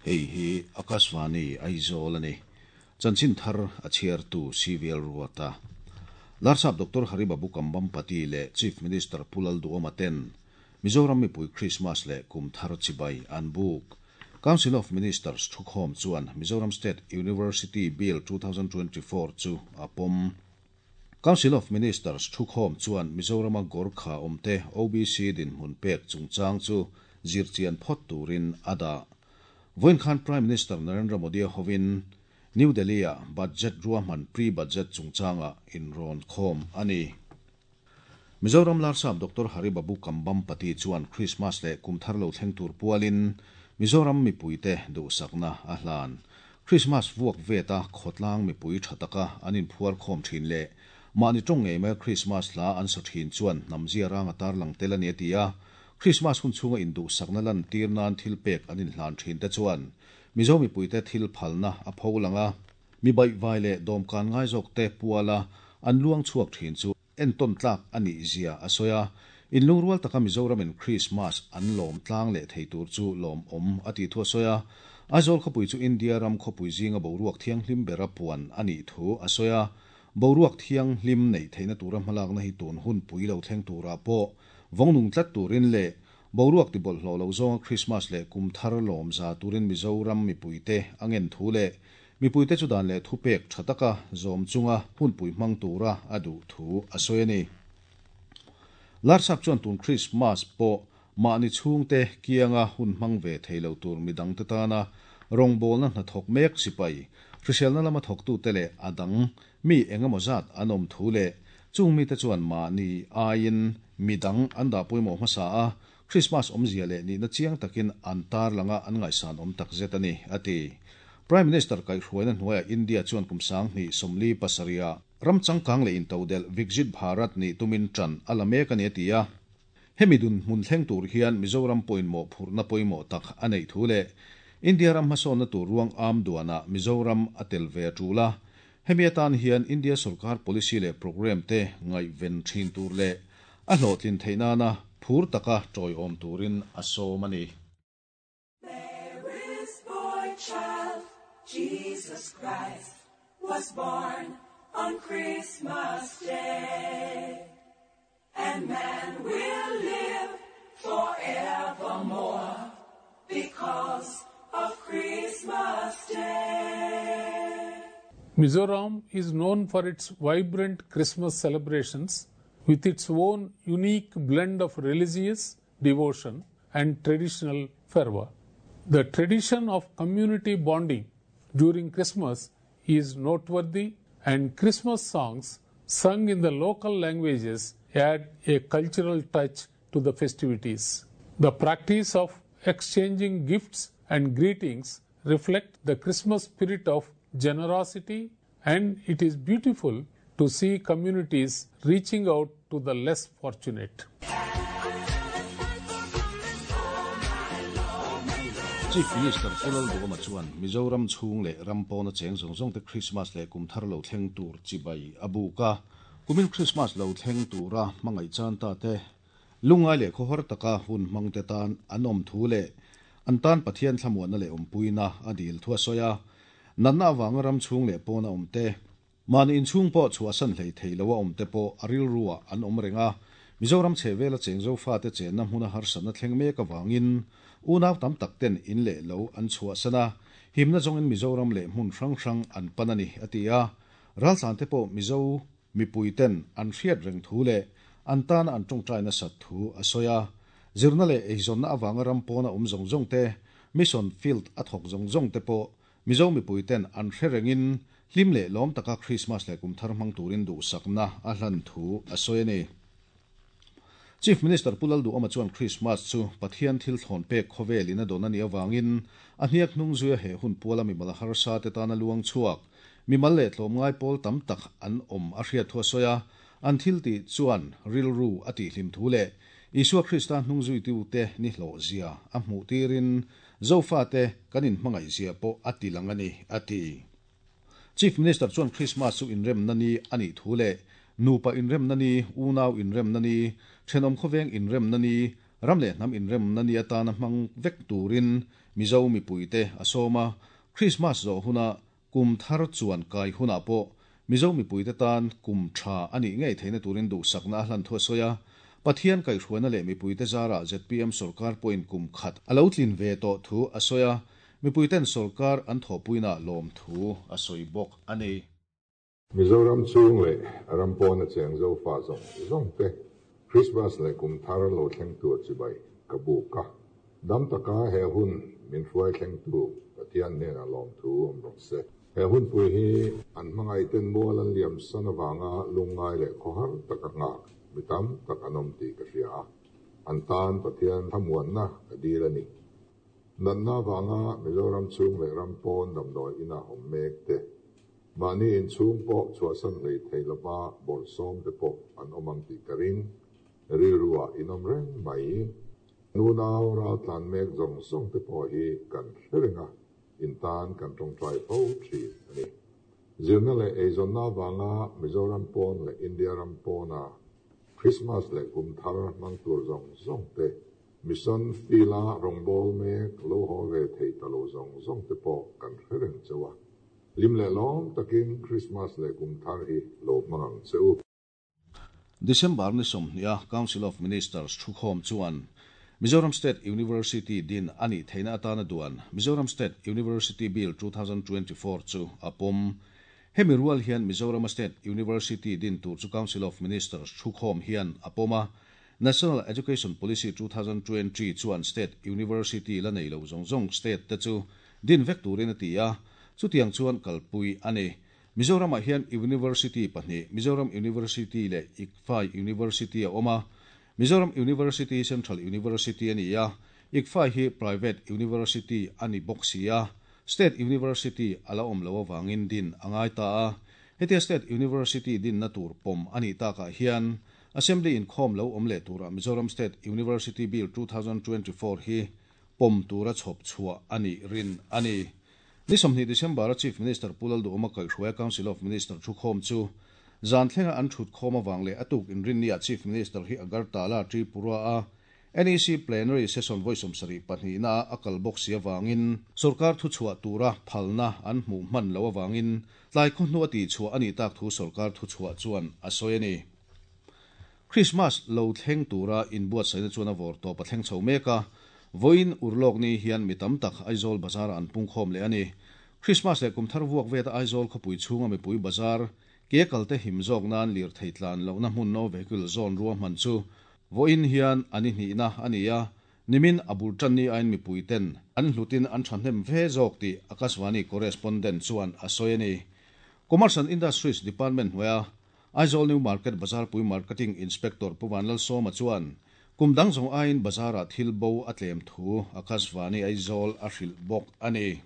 Hei hi Akashvani Aizawl a ni. Chanchin thar a chhiartu CVL Ruata. Larsap Doctor Hari Babu Kambhampati leh Chief Minister Pu Lalduhoma ten Mizoram mipui Krismas leh kum thar chibai an buk. Council of Ministers thukhawm chuan Mizoram State University Bill 2024 chu a pawm. Council of Ministers thukhawm chuan Mizorama Gorkha awmte OBC dinhmun pek chungchang chu zirchian phawt turin a dah. Vawiin khan Prime Minister Narendra Modi-a hovin New Delhi-ah Budget ruahman pre-budget chungchangah inrawn khawm a ni. Mizoram Larsap Doctor Hari Babu Kambhampati chuan Krismas leh kum thar lo thleng tur pualin Mizoram mipuite duhsakna a hlan. Krismas vuak veta khawtlang mipui tha taka an inphuar khawm thin leh mahni tawng ngei maia Krismas hla an sa thin chuan hnam zia rang a tarlang tel a ni a ti a. Krismas hun chhunga induhsakna lantir nan thilpek an inhlan thin te chuan Mizo mipuite thil phalna a pho lang a. Mi baihvai leh dawmkan ngai zawkte puala an luang chhuak thin chu entawn tlak a nih zia a sawi a, inlungrual taka Mizoramin Krismas an lawm tlang leh thei tur chu lawmawm a tih thu a sawi a. Aizawl khawpui chu India ram khawpui zinga boruak thianghlim bera puan a nih thu a sawi a, boruak thianghlim neih theihna tura hmalakna hi tun hun pui lo thleng turah pawh vawng nung tlat turin leh boruak tibawlhhlawh lo zawnga Krismas leh kum thar lawm za turin Mizoram mipuite a ngen thu leh Mipuite chu dan leh thupek tha taka zawm chunga hunpui hmang tura a duh thu a sawi a ni. Larsap chuan tun Krismas pawh mahni chhungte kianga hun hmang ve thei lo tur midangte tana rawngbawlna hnathawk mek sipai, hriselna lama thawktute leh a dang mi engemaw zat an awm thu leh chung mite chuan mahni aiin midang an dah pawimawh hmasa a, Krismas awmzia leh nihna chiang takin an tarlanga an ngaihsan awm takzet a ni, a ti. Prime Minister kaihhruaina hnuaiah India chuan kum 2037 ah ram changkang leh intodelh Viksit Bharat nih tumin ṭan a la mek a ni, a ti a. Hemi dunhmun thleng tur hian Mizoram pawhin mawhphurhna pawimawh tak a neih thu leh India ram hmasawnna tur ruang am duanah Mizoram a tel ve a ṭul a. Hemi atan hian India sorkar policy leh programme te ngaihven ṭhin tur leh a hlawhtlin theih nana phur taka ṭawiawm turin a sawm a ni. Mary's boy child, Jesus Christ, was born on Christmas Day. And man will live forevermore because of Christmas Day. Mizoram is known for its vibrant Christmas celebrations with its own unique blend of religious devotion and traditional fervor. The tradition of community bonding during Christmas is noteworthy, and Christmas songs sung in the local languages add a cultural touch to the festivities. The practice of exchanging gifts and greetings reflect the Christmas spirit of generosity, and it is beautiful to see communities reaching out to the less fortunate. Chief Minister Pu Lalduhoma chuan Mizoram chhung leh ram pawna cheng zawng zawngte Krismas leh kum thar lo thleng tur chibai a buk a. Kumin Krismas lo thleng tura hmangaih chan ta te, lungngai leh khawhar taka hun hmangte tan an awm thu leh an tan Pathian thlamuanna leh awmpuina a dil thu a sawi a. Natna avanga ram chhung leh pawna awmte, Mahni inchhung pawh chhuahsan hlei thei lo a awmte pawh a rilruah an awm reng a, Mizoram chhehvela cheng Zofate chenna hmuna harsatna thleng mek avangin unau tam tak ten in leh lo an chhuahsan a, himna zawngin Mizoram leh hmun hrang hrang an pan a ni, a ti a. Raltlante pawh Mizo mipui ten an hriat reng thu leh an tana an tawngtai nasat thu a sawi a. Zirna leh eizawnna avanga ram pawna awm zawng zawng te, mission field a thawk zawng zawng te pawh Mizo mipui ten an hre rengin hlim leh lawm taka Krismas leh kum thar hmang turin duhsakna a hlan thu a sawi a ni. Chief Minister Pu Lalduhoma chuan Krismas chu Pathian thil thlawn pek khawvel in a dawn a nih avangin a hniak hnung zuia he hun puala mimal harsa te tana luang chhuak mimal leh tlawmngai pawl tam tak an awm a hriat thu a sawi a, an thil tih chuan rilru a tihhlim thu leh Isua Krista hnung zuitute ni hlawh zia a hmuh tirin Zofate kan inhmangaihzia pawh a ti lang a ni, a ti. Chief Minister chuan Krismas chu inremna ni a nih thu leh nupa inremna ni, unau inremna ni, thenawm khawveng inremna ni, ram leh hnam inremna ni atana hmang vek turin Mizo mipuite a sawm a, Krismas zawh huna kum thar chuan kai hunah pawh Mizo mipuite tan kum tha a nih ngei theihna turin duhsakna a hlan thu a sawi a. Pathian kaihhruaina leh mipuite zarah zpm sorkar pawhin kum khat a lo tlin ve tawh thu a sawi a, mipuiten sorkar an thawhpuinaah lawmthu a sawi bawk a ni. Mizoram chhung leh ram pawna cheng Zofa zawng zawng te Christmas leh kum thar lo thleng tur chibai ka buk a. Dam taka he hun min hruai thlengtu Pathian hnenah lawmthu awm rawh se. He hunpui hi an hmangaihten mual an liam san avanga lungngai leh khawhar taka nghak mi tam tak an awm tih ka hria a, an tan Pathian thlamuanna ka dil a ni. Natna avanga Mizoram chhung leh ram pawn damdawi inah awm mek te, Mahni inchhung pawh chhuahsan hlei thei lova bawrhsawm te pawh an awm ang tih ka ring. Rilruah in awm reng mai. Nunau raltlan mek zawng zawng te pawh hi kan hre reng a, in tan kan tawngtai fo thin a ni. Zirna leh eizawnna avanga Mizoram pawn leh India ram pawna Christmas leh kum thar hmang tur zawng zawng te, Mission field-a rawngbâwl mek lo haw ve thei ta lo zawng zawng te pawh kan hre reng chauh a. Hlim leh lawm takin Krismas leh kum thar hi lo hmang ang che u. December ni 20 a Council of Ministers thukhawm chuan Mizoram State University din a nih theihna atana duan Mizoram State University Bill 2024 chu a pawm. Hemi rual hian Mizorama State University din tur chu Council of Ministers thukhawm hian a pawm a, National Education Policy 2020 chuan State University la nei lo zawng zawng state te chu din vek turin a ti a, chutiang chuan kalpui a ni. Mizoramah hian University pahnih, Mizoram University leh ICFAI University a awm a. Mizoram University Central University a ni a, ICFAI hi Private University a ni bawk si a, State University a la awm loh avangin din a ngai ta a. Hetia State University dinna tur pawm a nih takah hian Assembly inkhawm lo awm leh turah Mizoram State University Bill 2024 hi pawm tura chhawp chhuah a nih rin a ni. Ni 20 December-a Chief Minister Pu Lalduhawma kaihhruaia Council of Minister thukhawm chu zan thlenga an thut khawm avang leh a tuk inrinniah Chief Minister hi Agartala, Tripura-a NEC Plenary Session vawi 72 a a kal bawk si avangin sorkar thuchhuah tura phalna an hmuh hman loh avangin tlai khaw hnu a tihchhuah a nih tak thu sorkar thuchhuah chuan a sawi a ni. Krismas lo thleng tura inbuatsaihna chuan a vawr tawp a thleng chho mek a, vawiin urlawk ni hian mi tam tak Aizawl bazar-ah an pungkhawm leh a ni. Krismas leh kum thar vuak veta Aizawl khawpui chhunga mipui bazar ke kalte him zawk nan lirthei tlan lohna hmun no vehicle zone ruahman chu vawiin hian a ni hnihna a ni a, nimin a bul tan ni aiin mipui ten an hlutin an thahnem ve zawk tih Akashvani correspondent chuan a sawi a ni. Commerce and Industries Department hnuaia Aizawl New Market Bazarpui Marketing Inspector Pu Vanlalsawma chuan kum dang zawng aiin bazarah thil bo a tlem thu Akashvani Aizawl a hrilh bawk a ni.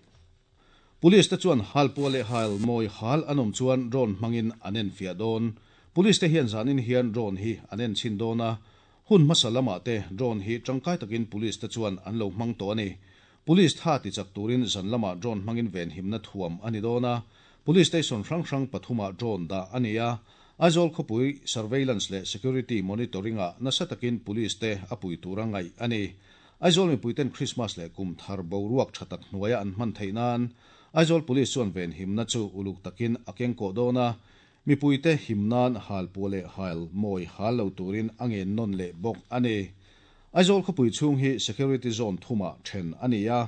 Police te chuan halpuah leh hal mawi hal an awm chuan drone hmangin an enfiah dawn. Police te hian zanin hian drone hi an enchhin dawn a, hun hmasa lamah te drone hi tangkai takin police te chuan an lo hmang tawh a ni. Police tha tichak turin zan lamah drone hmangin venhimna thuam a ni dawn a, Police station hrang hrang pathumah drone dah a ni a, Aizawl khawpui surveillance leh security monitoring-ah nasa takin police te a pui tura ngaih a ni. Aizawl mipuiten Krismas leh kum thar boruak tha tak hnuaia an hman theih nan Aizawl Police chuan venhimna chu uluk takin a kengkawh dawn a, mipuite him nan halpuah leh hal mawi hal lo turin a ngen nawn leh bawk a ni. Aizawl khawpui chhung hi security zone thumah then a ni a.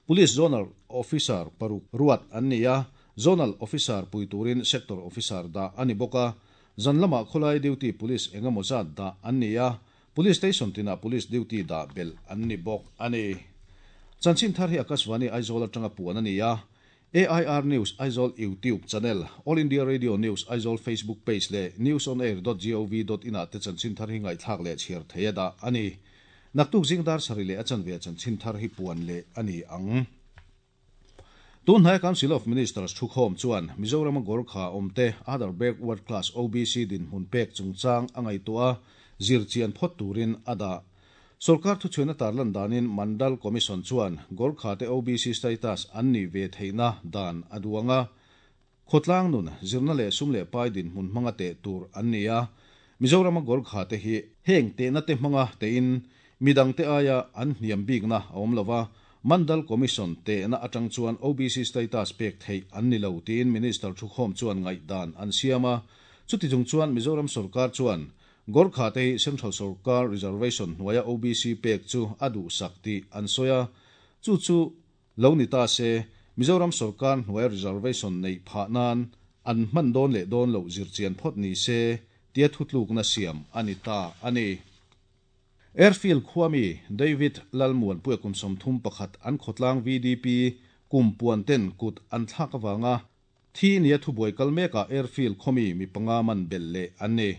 Police Zonal Officer paruk ruat an ni a, Zonal Officer pui turin Sector Officer dah a ni bawk a. Zan lamah khawlai duty Police engemaw zat dah an ni a, Police Station tinah Police duty dah belh an ni bawk a ni. Chanchin thar hi Akashvani Aizawl atanga puan a ni a, AIR News Aizawl YouTube channel, All India Radio News Aizawl Facebook page leh newsonair.gov.in ah te chanchin thar hi ngaihthlak leh chhiar thei a dah a ni. Naktuk zing dar sarih leh a chanve chanchin thar hi puan leh a ni ang. Tunhnai Council of Ministers thukhawm chuan Mizorama Gorkha awmte Other Backward Class OBC dinhmun pek chungchang a ngaihtuah a, zirchian phawt turin a dah. Sorkar thuchhuina tarlan danin Mandal Commission chuan Gorkha te OBC status an nih ve theihna dan a duang a, khawtlang nun, zirna leh sum leh pai dinhmun hmanga teh tur an ni a, Mizorama Gorkha te hi heng tehna te hmanga tein Midangte aia an hniam bikna a awm lova, Mandal Commission tehna atang chuan OBC status pek theih an ni lo tiin Minister thukhawm chuan ngaihdan an siam a. Chuti chung chuan Mizoram sorkar chuan Gorkha te hi Central sorkar reservation hnuaia OBC pek chu a duhsak tih an sawi a, chu chu lo ni ta se Mizoram sorkar hnuaia reservation neih phah nan an hman dawn leh dawn loh zirchian phawt ni se tia thutlukna siam a ni ta a ni. Airfield khuami David Lalmuanpuia kum 31 an khawtlang VDP kum puan ten kut an thlak avanga thi nia thubuai kal mekah Airfield khawmi mi panga man belh leh an ni.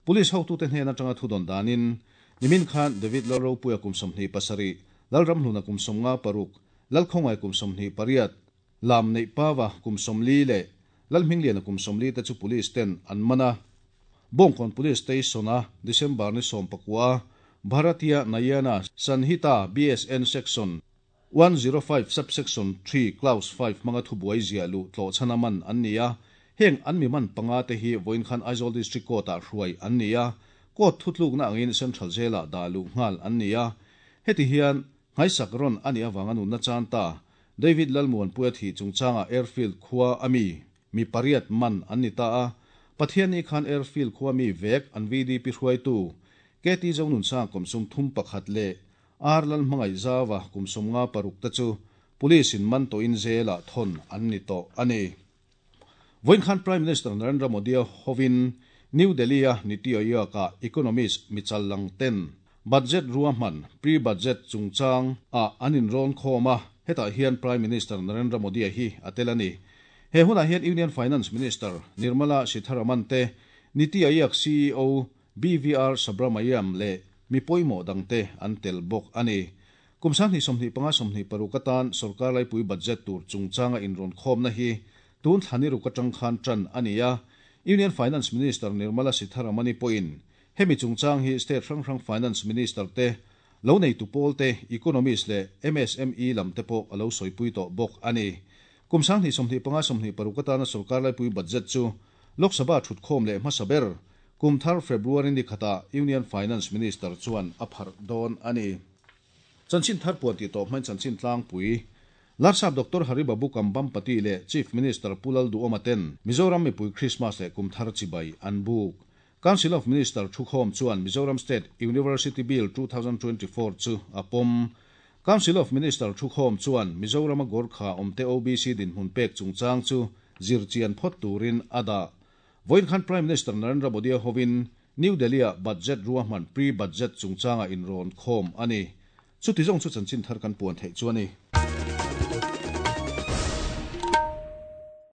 Police hotute hnen atanga thudawn danin nimin khan David Lalropuia kum 27, Lalramhluna kum 56, Lalkhawngai kum 28, Lam neih pawa kum 40 leh Lalhmingliana kum 40 te chu police ten an man a. Bawngkawn Police Station a December ni 19 Bharatiya Nayana Sanhita BSN Section 105 Subsection 3 Clause 5 hmanga thubuai ziah luh tlawhchhana man an ni a. Heng an mi man panga te hi vawiin khan Aizawl District Court ah hruai an ni a. Court thutlukna angin Central Jail ah dah luh nghal an ni a. Heti hian nghaisak rawn a nih avanga nunna chan ta David Lalmuanpuia thih chungchangah Airfield khua a mi mi pariat man an ni ta a. Pathianni khan Airfield khua mi vek an VDP hruaitu KT Zonunsang kum 31 leh R Lalhmangaih Zawa kum 56 te chu police in man tawhin jail-ah thawn an ni tawh a ni. Vawiin khan Prime Minister Narendra Modi a hovin New Delhi-a Niti Aayog-ah economist michal lang ten budget ruahman, pre-budget chungchang ah an inrawn khawm a, hetah hian Prime Minister Narendra Modi-a hi a tel a ni. He hunah hian Union Finance Minister Nirmala Sitharaman te, Niti Aayog CEO BVR Subrahmanyam leh mi pawimawh dangte an tel bawk a ni. Kum 2025 26 atan sorkar laipui budget tur chungchanga inrawn khawmna hi tun thlani ruk atang khan tan a ni a. Union Finance Minister Nirmala Sitharaman-i pawhin hemi chungchang hi state hrang hrang Finance Minister te, lo neitu pawl te, economist leh MSME lam te pawh a lo sawipui tawh bawk a ni. Kum 2025 26 atana sorkar laipui budget chu Lok Sabha thutkhawm leh hmasa ber kum thar February ni khatah Union Finance Minister chuan a pharh dawn a ni. Chanchin thar puan tih tawh hmain chanchin tlangpui Larsap Doctor Hari Babu Kambhampati leh Chief Minister Pu Lalduhoma ten Mizoram mipui Christmas leh kum thar chibai an buk. Council of Minister thukhawm chuan Mizoram State University Bill 2024 chu a pawm. Council of Minister thukhawm chuan Mizorama Gorkha awmte OBC dinhmun pek chungchang chu zirchian phawt turin a dah. Vawiin khan Prime Minister Narendra Modi a hovin New Delhi-ah budget ruahman pre-budget chungchanga inrawn khawm a ni. Chuti zawng chu chanchin thar kan puan theih chu a ni.